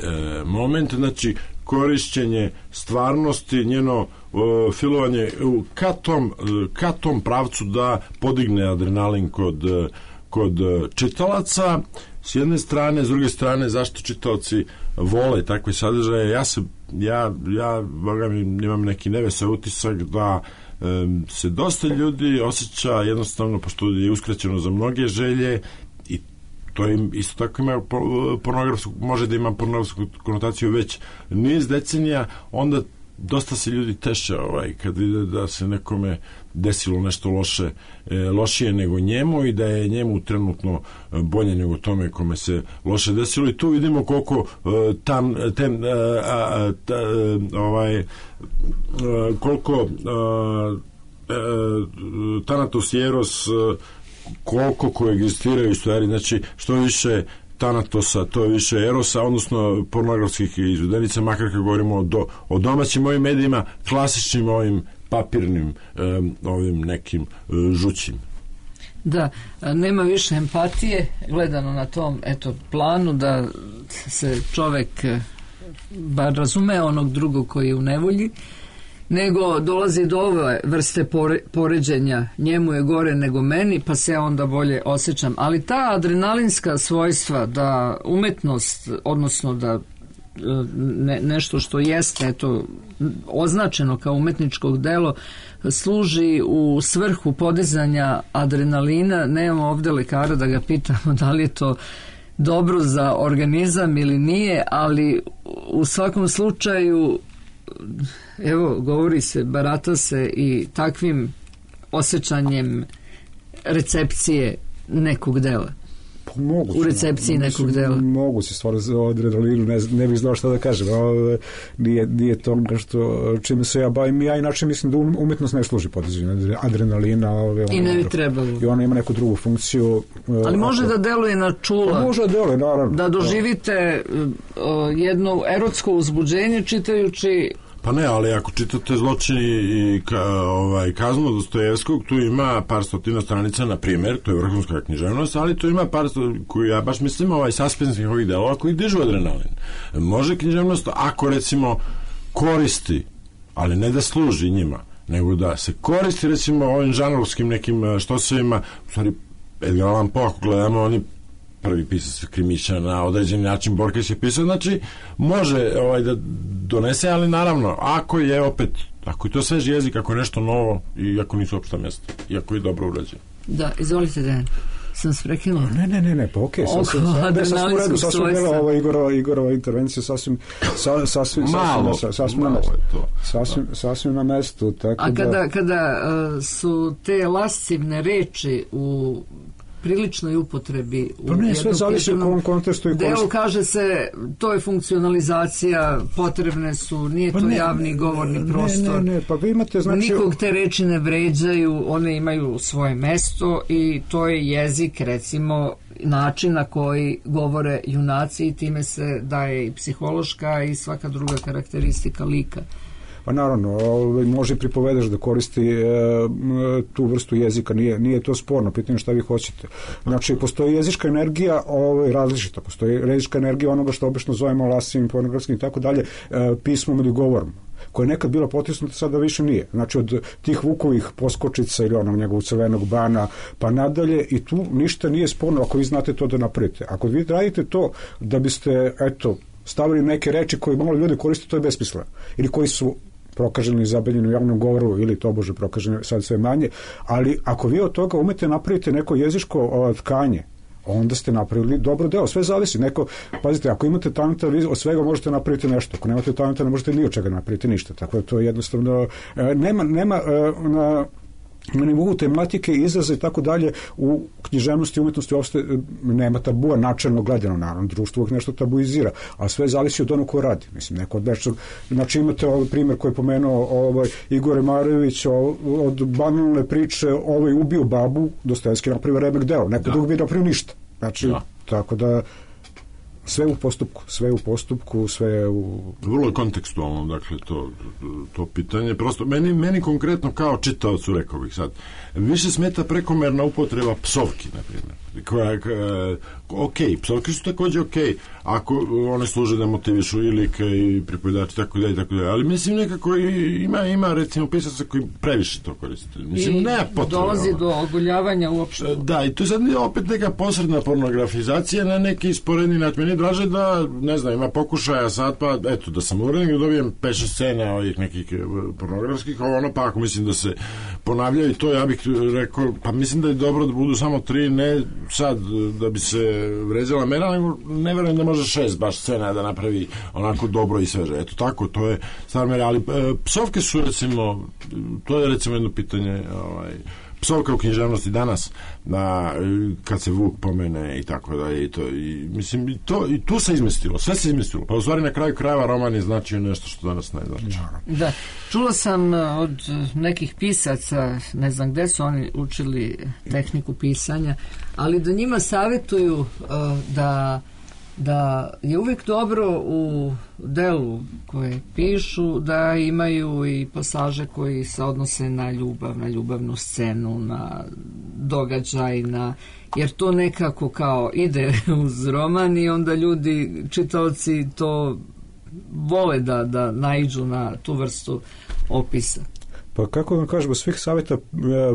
momente, znači stvarnosti, njeno filovanje ka tom pravcu da podigne adrenalin kod čitalaca s jedne strane, s druge strane zašto čitaoci vole takve sadržaje. Ja boga mi imam neki nevesel utisak da se dosta ljudi osjeća jednostavno, pošto je uskraćeno za mnoge želje, i to im isto tako ima može da ima pornografsku konotaciju već niz decenija, onda dosta se ljudi teše kad vide da se nekome desilo nešto lošije nego njemu i da je njemu trenutno bolje nego tome kome se loše desilo, i tu vidimo koliko koliko Thanatos i Eros koliko koegzistiraju stvari, znači što više Thanatosa, to je više Erosa, odnosno pornografskih izvedenica, makar kad govorimo o domaćim ovim medijima, klasičnim ovim papirnim, ovim nekim žućim. Da, nema više empatije gledano na tom planu da se čovek bar razume onog drugog koji je u nevolji, nego dolazi do ove vrste poređenja, njemu je gore nego meni, pa se ja onda bolje osjećam. Ali ta adrenalinska svojstva, da umetnost, odnosno da nešto što jeste označeno kao umetničko delo služi u svrhu podizanja adrenalina. Nemamo ovdje lekara da ga pitamo da li je to dobro za organizam ili nije, ali u svakom slučaju evo, govori se, barata se i takvim osjećanjem recepcije nekog dela. Moguće, u recepciji nekog dela. Mogu se stvarno o adrenalinu, ne bih znao šta da kažem. Nije to nešto čime se ja bavim. Ja inače mislim da umjetnost ne služi podizanju adrenalina. I ne bi trebalo. I ona ima neku drugu funkciju. Ali može da deluje na čula. Može da deluje, naravno. Da doživite jedno erotsko uzbuđenje čitajući. Pa ne, ali ako čitate Zločini i Kaznu Dostojevskog, tu ima par stotina stranica, na primjer, to je vrhunska književnost, ali tu ima par koju ja baš mislim saspensnih ovih delova koji dižu adrenalin. Može književnost, ako recimo koristi, ali ne da služi njima, nego da se koristi recimo ovim žanrovskim nekim štosevima, u stvari Edgar Allan Poe, ako gledamo, oni prvi pisac krimića na određeni način, Borges je pisao, znači može da donese, ali naravno ako je to svež jezik, ako je nešto novo i ako nisu opšta mjesta i ako je dobro urađeno. Da, izvolite Dejan, sam se prekinula. Ne, pa okej. Sasvim bila Igorova intervencija sasvim na mestu. A kada su te lascivne reči u priličnoj upotrebi sve zavisi u kom kontekstu i delu, kaže se to je funkcionalizacija, potrebne su, nije to javni govorni prostor. Pa vi imate, znači, nikog te reči ne vređaju, one imaju svoje mesto i to je jezik, recimo način na koji govore junaci i time se daje i psihološka i svaka druga karakteristika lika. Pa naravno, može pripovedaš da koristi tu vrstu jezika, nije to sporno, pitanje šta vi hoćete. Znači, postoji jezička energija različita, postoji jezička energija onoga što obično zovemo lasivim, pornografskim i tako dalje, pismom ili govorom, koja je nekad bila potisnuta, sada više nije. Znači, od tih Vukovih poskočica ili onog njegovog crvenog bana pa nadalje, i tu ništa nije sporno ako vi znate to da napravite. Ako vi radite to da biste, stavili neke reči koje malo ljudi koriste, to je besmisleno. Ili koji su prokaženi i zabranjeni u javnom govoru ili tobože prokaženi sad sve manje, ali ako vi od toga umete napraviti neko jezičko tkanje, onda ste napravili dobro delo. Sve zavisi. Pazite, ako imate talenta, vi od svega možete napraviti nešto. Ako nemate talenta, ne možete ni od čega napraviti ništa. Tako da to je jednostavno nema na nivou tematike, izraza i tako dalje u književnosti i umjetnosti uopšte nema tabua načelno gledano, naravno društvo uvijek nešto tabuizira, a sve zavisi od onog ko radi. Mislim, neko od nešto, znači imate ovaj primjer koji je pomenuo Igor Marević od banalne priče ubio babu, Dostojevski napravio remek delo, neko drugi bi napravio ništa. Znači, tako da sve u postupku, sve u... Vrlo kontekstualno, dakle, to pitanje. Prosto, meni konkretno kao čitaocu, rekao bih sad, više smeta prekomerna upotreba psovki, na primjer. Psovke su također ako one služe da motivišu i like i pripovedači, tako dalje, ali mislim nekako ima recimo pisaca koji previše to koriste. Mislim, nema potrebe. Dolazi do oguljavanja uopšte. Da, i to sad je opet neka posredna pornografizacija na neki sporedni način. Meni je draže da, ne znam, ima pokušaja sad, pa eto, da sam urednik, da dobijem 5-6 scena ovih nekih pornografskih, pa ako mislim da se ponavljaju to, ja bih rekao, pa mislim da je dobro da budu samo 3, ne sad da bi se vređala mera, nego ne verujem da može 6 baš scena da napravi onako dobro i sveže. Eto tako, to je stvar mera, ali psovke su recimo, to je recimo jedno pitanje, psovka u književnosti danas, kad se Vuk pomene i tako da i mislim i tu se izmestilo, sve se izmestilo, pa u stvari na kraju krajeva roman je značio nešto što danas ne znači. Da, čula sam od nekih pisaca, ne znam gde su oni učili tehniku pisanja, ali da njima savjetuju da je uvijek dobro u delu koje pišu da imaju i pasaže koji se odnose na ljubav, na ljubavnu scenu, na događaj, jer to nekako kao ide uz roman i onda ljudi, čitaoci to vole da naiđu na tu vrstu opisa. Pa kako vam kažemo, svih savjeta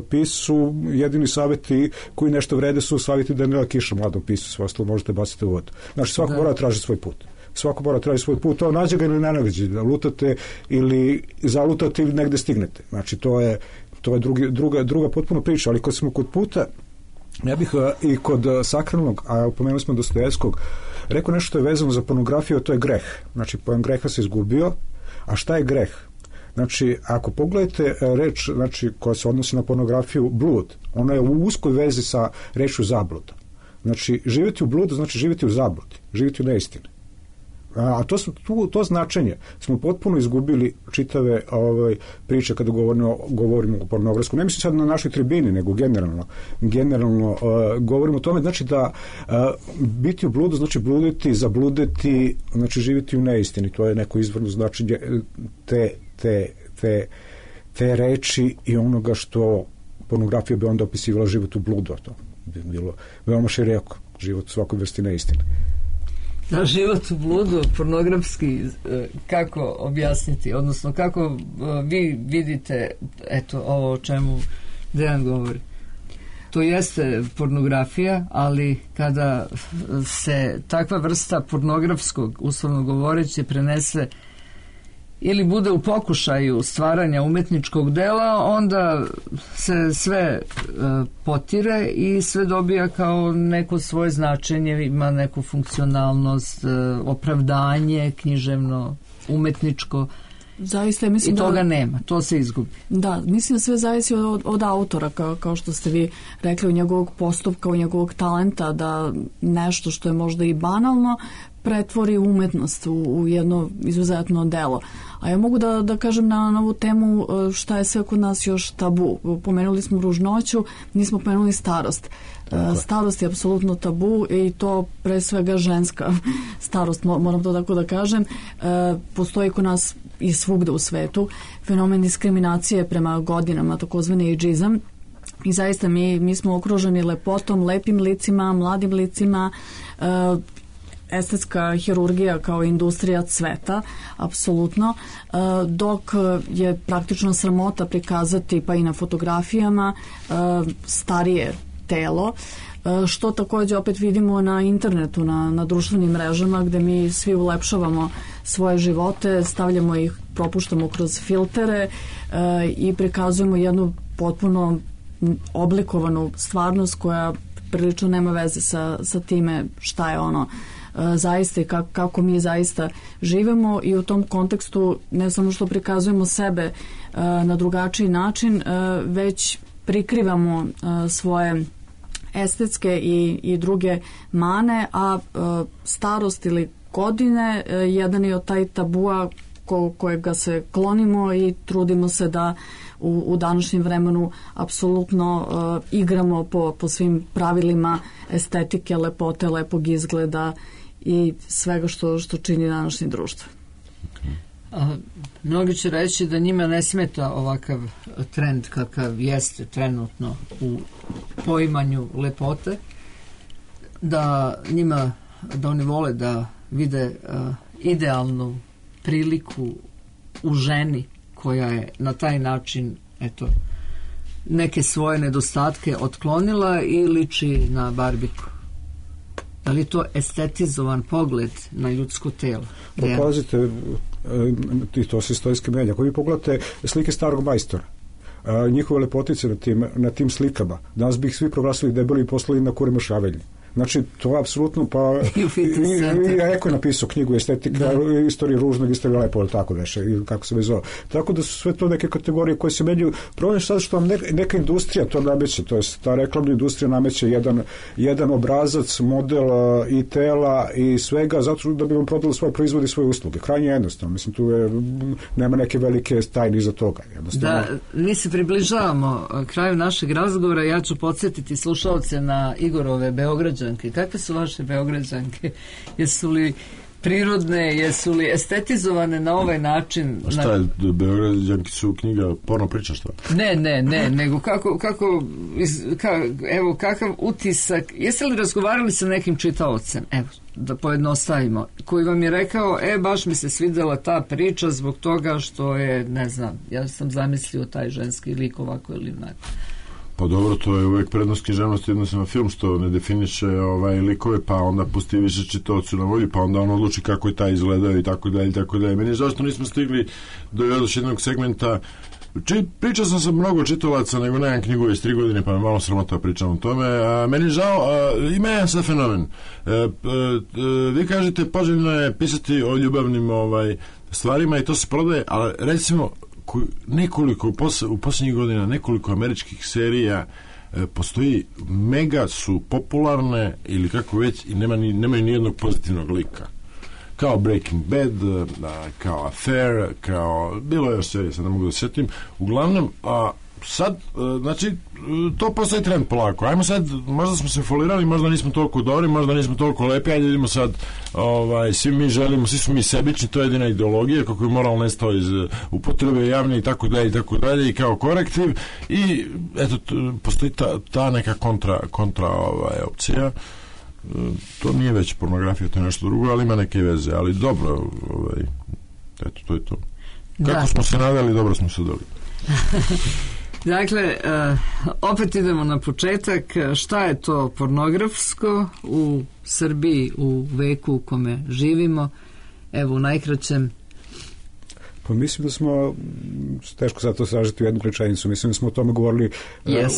pisu, jedini savjeti koji nešto vrede su savjeti da ne da kiša mladom pisu, sve ostalo možete baciti u vodu. Znači svako mora traži svoj put. Svako mora traži svoj put, to nađe ga ili ne nađe, da lutate ili zalutate ili negde stignete. Znači, to je druga potpuno priča, ali kad smo kod puta, ja bih i kod sakralnog, a pomenuli smo Dostojevskog, rekao nešto što je vezano za pornografiju, to je greh. Znači, pojam greha se izgubio, a šta je greh? Znači, ako pogledate reč, znači, koja se odnosi na pornografiju, blud, ona je u uskoj vezi sa rečju zabluda. Znači, živjeti u bludu znači živjeti u zabludi, živjeti u neistini. A to značenje smo potpuno izgubili čitave priče kada govorimo o pornografskom. Ne mislim sad na našoj tribini, nego generalno govorimo o tome. Znači da biti u bludu znači bluditi, zabluditi, znači živjeti u neistini. To je neko izvorno značenje te reči i onoga što pornografija bi onda opisivala život u bludu. To bi bilo veoma široko, život u svakoj vrsti neistine. Da, život u bludu, pornografski, kako objasniti, odnosno kako vi vidite, eto, ovo o čemu Dejan govori. To jeste pornografija, ali kada se takva vrsta pornografskog, uslovno govoreći, prenese ili bude u pokušaju stvaranja umetničkog dela, onda se sve potire i sve dobija kao neko svoje značenje, ima neku funkcionalnost, opravdanje, književno, umetničko. Zaista, mislim, i toga nema, to se izgubi. Da, mislim da sve zavisi od autora, kao što ste vi rekli, od njegovog postupka, od njegovog talenta, da nešto što je možda i banalno pretvori umetnost u jedno izuzetno delo. A ja mogu da kažem na ovu temu šta je sve kod nas još tabu. Pomenuli smo ružnoću, nismo pomenuli starost. Starost je apsolutno tabu i to pre svega ženska starost, moram to tako da kažem. Postoji kod nas i svugde u svetu fenomen diskriminacije prema godinama, takozvani ageizam. I zaista mi smo okruženi lepotom, lepim licima, mladim licima, estetska hirurgija kao industrija cveta, apsolutno, dok je praktično sramota prikazati pa i na fotografijama starije telo, što takođe opet vidimo na internetu, na društvenim mrežama gde mi svi ulepšavamo svoje živote, stavljamo ih, propuštamo kroz filtere i prikazujemo jednu potpuno oblikovanu stvarnost koja prilično nema veze sa time šta je ono zaista i kako mi zaista živemo, i u tom kontekstu ne samo što prikazujemo sebe na drugačiji način, već prikrivamo svoje estetske i druge mane, a starost ili godine jedan je od taj tabua kojega se klonimo i trudimo se da u današnjem vremenu apsolutno igramo po svim pravilima estetike, lepote, lepog izgleda i svega što čini današnje društvo. Mnogi će reći da njima ne smeta ovakav trend kakav jeste trenutno u poimanju lepote, da oni vole da vide idealnu priliku u ženi koja je na taj način neke svoje nedostatke otklonila i liči na barbiku. Da li je to estetizovan pogled na ljudsko telo? Pazite, to se istorijski menja. Ako vi pogledate slike starog majstora, njihove lepotice na tim slikama, danas bi ih svi proglasili debeli i poslali na kuremašavelji. Znači, to je apsolutno, pa Eko je napisao knjigu estetika, istorija ružnog, istorija lepo, tako veše, kako se vezao. Tako da su sve to neke kategorije koje se menjaju. Problem je sad što vam neka industrija to nameće, to je ta reklamna industrija nameće jedan obrazac, model i tela i svega, zato da bi vam prodali svoje proizvode i svoje usluge. Krajnje jednostavno, mislim, tu nema neke velike tajne iza toga. Da, mi se približavamo kraju našeg razgovora, ja ću podsjetiti slušalce na Igorove Beograđanke. Kakve su vaše Beograđanke? Jesu li prirodne, jesu li estetizovane na ovaj način? Šta je, Beograđanke su knjiga porno priča, šta? Ne, nego evo, kakav utisak, jeste li razgovarali sa nekim čitaocem, evo, da pojednostavimo, koji vam je rekao, baš mi se svidela ta priča zbog toga što je, ne znam, ja sam zamislio taj ženski lik ovako ili onako. Pa dobro, to je uvek prednost književnosti odnosno na film, što ne definiše likove, pa onda pusti više čitaocu na volju, pa onda on odluči kako je taj izgledao i tako dalje, i tako dalje. Meni je zašto nismo stigli do još jednog segmenta. Pričao sam sa mnogo čitalaca, nego nemam knjigu već 3 godine, pa me malo sramota pričam o tome. Meni je žao, ima jedan sad fenomen. Vi kažete, poželjno je pisati o ljubavnim stvarima i to se prodaje, ali recimo nekoliko, u posljednjih godina nekoliko američkih serija postoji, mega su popularne ili kako već i nemaju nijednog pozitivnog lika. Kao Breaking Bad, kao Affair, kao bilo je još serija, sad ne mogu da setim. Uglavnom, sad, znači, to postoji trend polako. Ajmo sad, možda smo se folirali, možda nismo toliko dobri, možda nismo toliko lepi, ajde idemo sad, svi mi želimo, svi smo mi sebični, to je jedina ideologija, kako je moral nestao iz upotrebe javne i tako dalje, i kao korektiv, i eto, postoji ta neka kontra opcija. To nije već pornografija, to je nešto drugo, ali ima neke veze, ali dobro, eto, to je to. Kako smo se nadali, dobro smo se dali. Dakle, opet idemo na početak. Šta je to pornografsko u Srbiji u veku u kome živimo? Evo, u najkraćem. Pa mislim da smo, teško sad to sažeti u jednu rečenicu, mislim da smo o tome govorili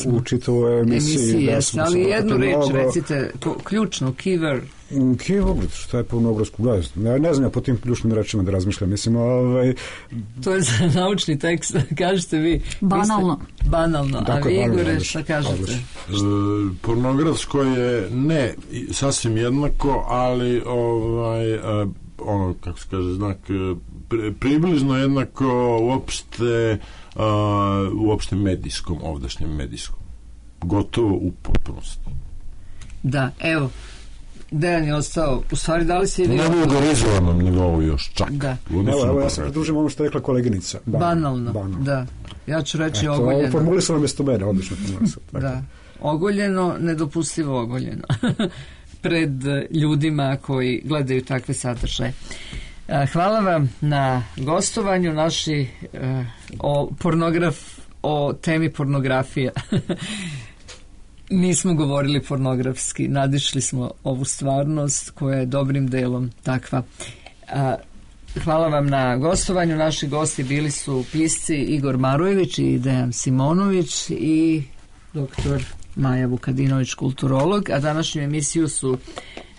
u čitavoj emisiji. Ali jednu reč recite, ključno, keyword. Keyword, šta je pornografsko? Ne znam ja po tim ključnim rečima da razmišljam. Mislim, to je za naučni tekst, kažete vi. Banalno, dakle, a vi, Igore, šta kažete? Pornografsko je ne sasvim jednako, ali kako se kaže, znak približno jednako uopšte medijskom, ovdašnjem medijskom. Gotovo u potpunosti. Da, evo, Dejan je ostao, u stvari dali se i vi... Na vulgarizovanom nivou još čak. Da. Evo, ja se pridružim ono što je rekla koleginica. Banalno, da. Ja ću reći ogoljeno. Ovo formulisano mjesto mene, odlično formulisano. Da, ogoljeno, nedopustivo ogoljeno. Pred ljudima koji gledaju takve sadržaje. Hvala vam na gostovanju naši o temi pornografija. Nismo govorili pornografski, nadišli smo ovu stvarnost koja je dobrim delom takva. Hvala vam na gostovanju. Naši gosti bili su pisci Igor Marojević i Dejan Simonović i doktor Maja Vukadinović, kulturolog, a današnju emisiju su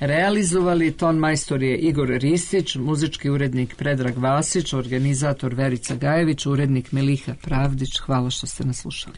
realizovali ton majstor je Igor Ristić, muzički urednik Predrag Vasić, organizator Verica Gajević, urednik Miliha Pravdić. Hvala što ste nas slušali.